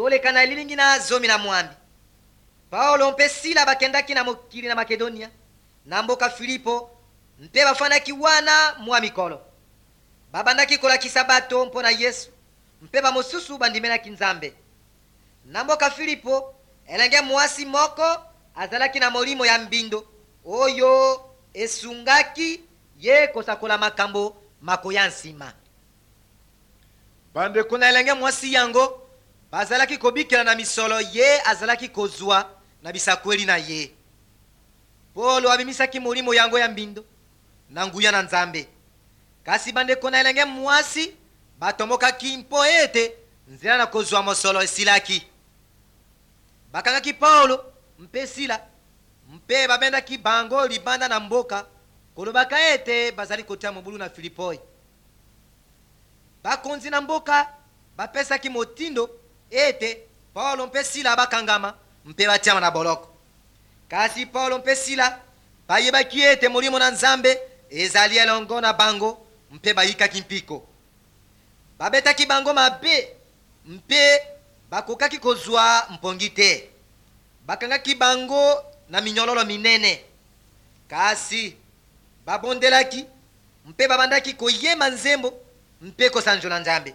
Toleka na elilingi na 18. Paulo mpe Sila bakendaki na mokili na Makedonia, na mboka Filipo, mpe bafandaki wana mwa mikolo. Babandaki kolakisa bato mpo na Yesu, mpe bamosusu bandimelaki Nzambe. Na mboka Filipo, elenge mwasi moko azalaki na molimo ya mbindo oyo esungaki ye kosakola makambo makoya nsima. Bandeko na elenge mwasi yango bazalaki kobikela na misolo ye azalaki kozwa na bisakweli na ye. Polo abimisaki molimo yango ya mbindo na nguya na Nzambe. Kasi bandeko na elenge mwasi batombokaki mpo ete nzela na kozwa mosolo esilaki. Bakangaki Paulo mpe Sila mpe babendaki bango libanda na mboka, kolobaka ete bazali kotia mobulu na Filipoi. Bakonzi na mboka bapesaki motindo ete Paulo mpe Sila bakangama mpe batiama na boloko. Kasi Paulo mpe Sila bayebaki ete Molimo na Nzambe ezali elongo na bango mpe bayikaki mpiko. Babetaki bango mabe mpe bakokaki kozwa mpongi te. Bakangaki bango na minyololo minene. Kasi babondelaki mpe babandaki koyemba nzembo mpe kosanjola Nzambe.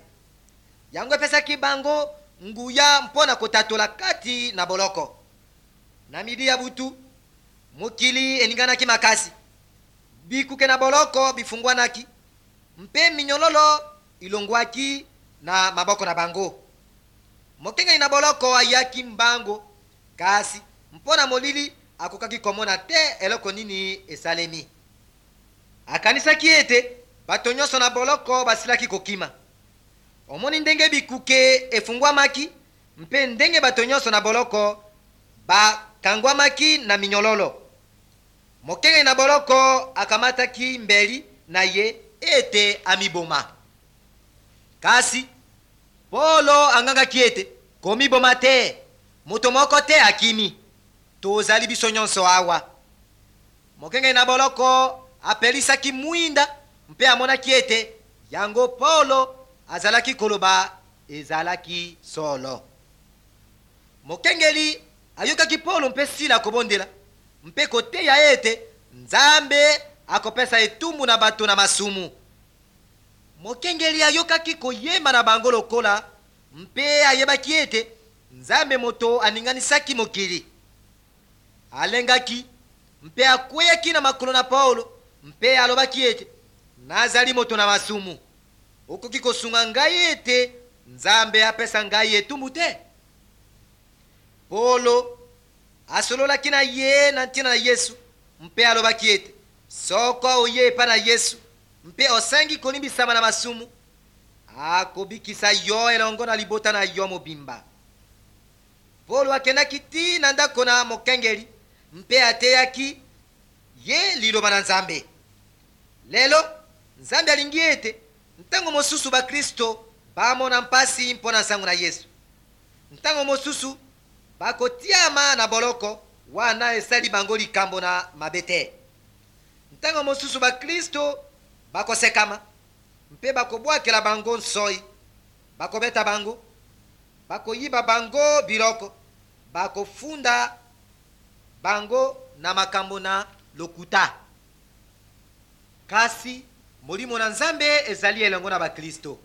Yango epesaki bango nguya mpo na kotatola kati na boloko. Na midi ya butu, mokili eninganaki makasi. Bikuke na boloko bifungwanaki, mpe minyololo ilongwaki na maboko na bango. Mokengeli na boloko ayaki mbango, kasi mpo na molili akokaki komona te eloko nini esalemi. Akanisaki ete bato nyonso na boloko basilaki kokima. Omoni ndenge bikuke efungwamaki mpe ndenge bato nyonso na boloko bakangwamaki na minyololo. Mokengeli na boloko akamataki mbeli na ye ete amiboma. Kasi Polo angangaki ete, Komiboma te! Moto moko te akimi. Tozali biso nyonso awa. Mokengeli na boloko apelisaki mwinda mpe amonaki ete yango Polo azalaki koloba ezalaki solo. Mokengeli ayokaki Polo mpe Sila kobondela mpe koteya ete Nzambe akopesa etumbu na bato na masumu. Mokengeli ayokaki koyemba na bango lokola mpe ayebaki ete Nzambe moto aninganisaki mokili. Alengaki mpe akweyaki na makolo na Paulo mpe alobaki ete, Nazali moto na masumu. Okoki kosunga ngai ete Nzambe apesa ngai etumbu te? Polo asololaki na ye na ntina na Yesu mpe alobaki ete, Soko oye epai na Yesu mpe osengi kolimbisama na masumu, akobikisa yo elongo na libota na yo mobimba. Polo akendaki tii na ndako na mokengeli mpe ateyaki ye Liloba na Nzambe. Lelo, Nzambe alingi ete ntango mosusu bakristo bamona mpasi mpo na nsango na Yesu. Ntango mosusu bakotiama na boloko wana esali bango likambo na mabe te. Ntango mosusu bakristo bakosekama mpe bakobwakela bango nsoi, bakobeta bango, bakoyiba bango biloko, bakofunda bango na makambo na lokuta. Kasi Molimo na Nzambe ezali elongo na baklisto.